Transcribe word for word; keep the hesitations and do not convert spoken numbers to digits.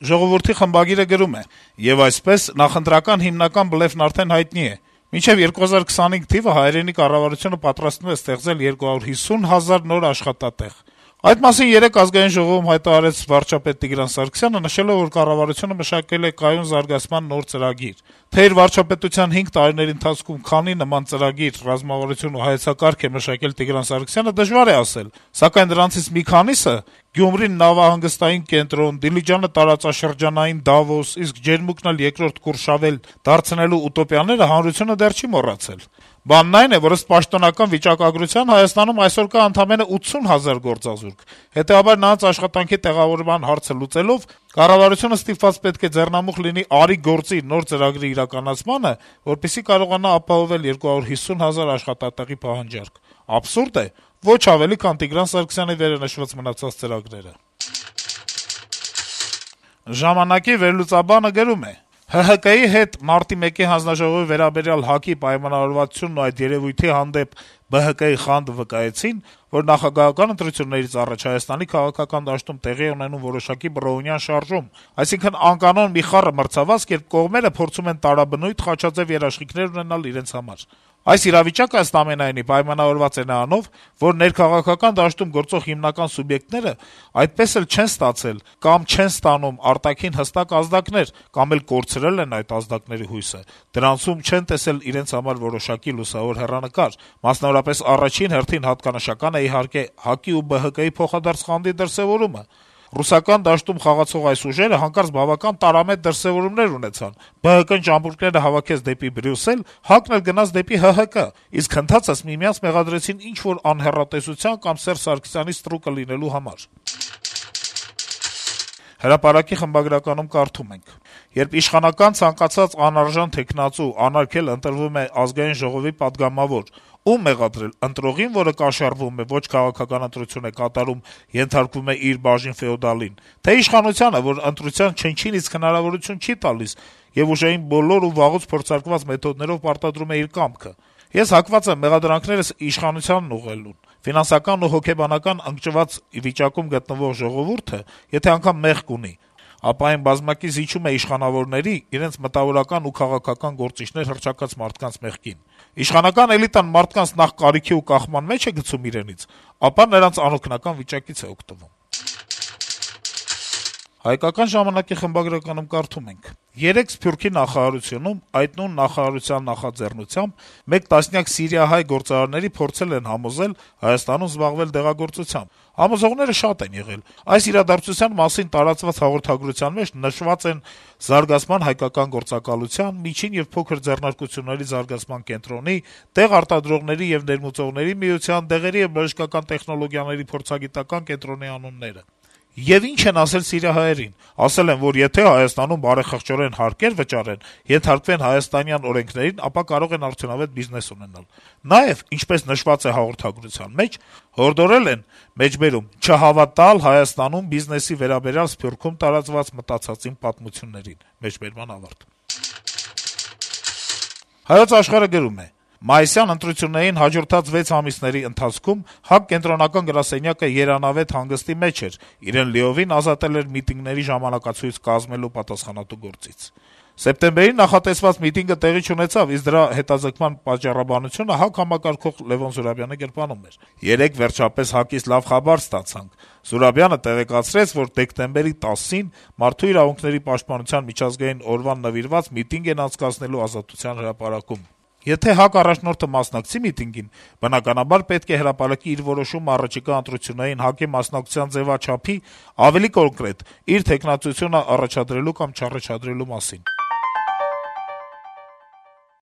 Ժողովուրդի խմբագիրը գրում է. - «Եվ այսպես, նախընտրական հիմնական բլեֆն արդեն հայտնի է. մինչեւ երկու հազար քսանհինգ թիվը հայրենի կառավարությունը պատրաստվում է ստեղծել երկու հարյուր հիսուն հազար նոր աշխատատեղ։ Այդ մասին երեկ Ազգային ժողովում հայտարարեց վարչապետ Տիգրան Սարգսյանը, նշելով, որ կառավարությունը մշակել է կայուն զարգացման նոր ծրագիր։ Թե իր վարչապետության հինգ տարիների ընթացքում քանի նման ծրագիր, ռազմավարություն ու հայեցակարգ է մշակել Տիգրան Սարգսյանը, դժվար է ասել, սակայն դրանցից մի քանիսը՝ Գյումրին նավահանգստային կենտրոն, Դիլիջանը տարածաշրջանային Դավոս, իսկ Ջերմուկն էլ երկրորդ Կուրշավել դարձնելու ուտոպիաները հանրությունը դեռ չի մոռացել։ Բանն այն է, որ ըստ պաշտոնական վիճակագրության Հայաստանում այսօր կա ընդամենը ութսուն հազար գործազուրկ։ Հետեւաբար նրանց աշխատանքի տեղավորման հարցը լուծելով կառավարությունը ստիպված պետք է ձեռնամուխ լինի «Արի գործի» նոր ծրագրի իրականացմանը, որպեսզի կարողանա ապահովել երկու հարյուր հիսուն հազար աշխատատեղի պահանջարկ։ Աբսուրդ է, ոչ ավելի, քան Տիգրան Սարգսյանի վերը նշված մնացած ծրագրերը»։ «Ժամանակ»-ի վերլուծաբանը գրում է. - «ՀՀԿ-ի հետ մարտի մեկի հանձնաժողովի վերաբերյալ ՀԱԿ-ի պայմանավորվածությունն ու այդ երեւույթի հանդեպ ԲՀԿ-ի խանդը վկայեցին, որ նախագահական ընտրություններից առաջ Հայաստանի քաղաքական դաշտում տեղի է ունենում որոշակի բռովնյան շարժում, այսինքն անկանոն մի խառը մրցավազք, երբ կողմերը փորձում են տարաբնույթ խաչաձեւ երաշխիքներ ունենալ իրենց համար։ Այս իրավիճակը, ըստ ամենայնի, պայմանավորված է նրանով, որ ներքաղաքական դաշտում գործող հիմնական սուբյեկտները այդպես էլ չեն ստացել կամ չեն ստանում արտաքին հստակ ազդակներ, կամ էլ կորցրել են այդ ազդակների հույսը, դրանցում չեն տեսել իրենց համար որոշակի լուսավոր հեռանկար։ Մասնավորապես առաջին հերթին հատկանշական է, իհարկե, ՀԱԿ-ի ու ԲՀԿ-ի փոխադարձ խանդի դրսեւորումը։ Ռուսական դաշտում խաղացող այս ուժերը հանկարծ բավական տարամետ դրսեւորումներ ունեցան. ԲՀԿ-ն ճամպրուկները հավաքեց դեպի Բրյուսել, ՀԱԿ-ն էլ գնաց դեպի ՀՀԿ, իսկ հնդածս միմյանց մեղադրեցին ինչ-որ անհեռատեսության կամ Սերժ Սարգսյանի ստրուկը լինելու համար»։ Հրապարակի խմբագրականում կարդում ենք. - «Երբ իշխանական ցանկացած անարժան թեկնածու անարգել ընտրվում է Ազգային ժողովի պատգամավոր, ում մեղադրել՝ ընտրողին, որը կաշառվում է, ոչ քաղաքական ընտրություն է կատարում, ենթարկվում է իր բաժին ֆեոդալին, թե իշխանությանը, որ ընտրության չնչին իսկ հնարավորություն չի տալիս եւ ուժային բոլոր ու վաղուց փորձարկված մեթոդներով պարտադրում է իր կամքը։ Ես հակված եմ մեղադրանքներս իշխանությանն ուղղելուն։ Ֆինանսական ու հոգեբանական ընկճված վիճակում գտնվող ժողովուրդը, եթե անգամ մեղք ունի, ապա այն բազմակի զիջում է իշխանավորների, իրենց մտավորական ու քաղաքական գործիչներ հռչակած մարդկանց մեղքին։ Իշխանական էլիտան մարդկանց նախ կարիքի ու կախման մեջ է գցում իրենից, ապա նրանց անօգնական վիճակից է օգտվում»։ «Հայկական ժամանակ»-ի խմբագրականում կարդում ենք. - «Երեկ Սփյուռքի նախարարությունում այդ նույն նախարարության նախաձեռնությամբ մեկ տասնյակ սիրիահայ գործարարների փորձել են համոզել Հայաստանում զբաղվել դեղագործությամբ։ Համոզողները շատ են եղել։ Այս իրադարձության մասին տարածված հաղորդագրության մեջ նշված են Զարգացման հայկական գործակալության, Միջին եւ փոքր ձեռնարկությունների զարգացման կենտրոնի, Տեղ արտադրողների եւ ներմուծողների միության, Դեղերի եւ բժշկական տեխնոլոգիաների փորձագիտական կենտրոնի անունները։ Եվ ինչ են ասել սիրիահայերին։ Ասել են, որ եթե Հայաստանում բարեխղճորեն հարկեր վճարեն, ենթարկվեն հայաստանյան օրենքներին, ապա կարող են արդյունավետ բիզնես ունենալ։ Նաեւ, ինչպես նշված է հաղորդագրության մեջ, հորդորել են, մեջբերում, չհավատալ Հայաստանում բիզնեսի վերաբերյալ Սփյուռքում տարածված մտածածին պատմություններին։ Մեջբերման ավարտ»։ «Հայոց Աշխարհ»-ը գրում է. - «Մայիսյան ընտրություններին հաջորդած վեց ամիսների ընթացքում ՀԱԿ կենտրոնական գրասենյակը երանավետ հանգստի մեջ էր, իրեն լիովին ազատել էր միտինգների ժամանակացույց կազմելու պատասխանատու գործից։ Սեպտեմբերին նախատեսված միտինգը տեղի չունեցավ, իսկ դրա հետաձգման պատճառաբանությունը ՀԱԿ համակարգող Լեւոն Զուրաբյանի գրպանում էր։ Երեկ վերջապես ՀԱԿ-ից լավ խաբար ստացանք։ Զուրաբյանը տեղեկացրեց, որ դեկտեմբերի տասին Մարդու իրավունքների պաշտպանության միջազգային օրվան նվիրված միտինգ են անցկացնելու Ազատության հրապարակում։ Եթե ՀԱԿ առաջնորդը մասնակցի միտինգին, բնականաբար պետք է հրապարակի իր որոշումը առաջիկա ընտրություններին ՀԱԿ-ի մասնակցության ձեւաչափի, ավելի կոնկրետ՝ իր թեկնածությունը առաջադրելու կամ չառաջադրելու մասին»։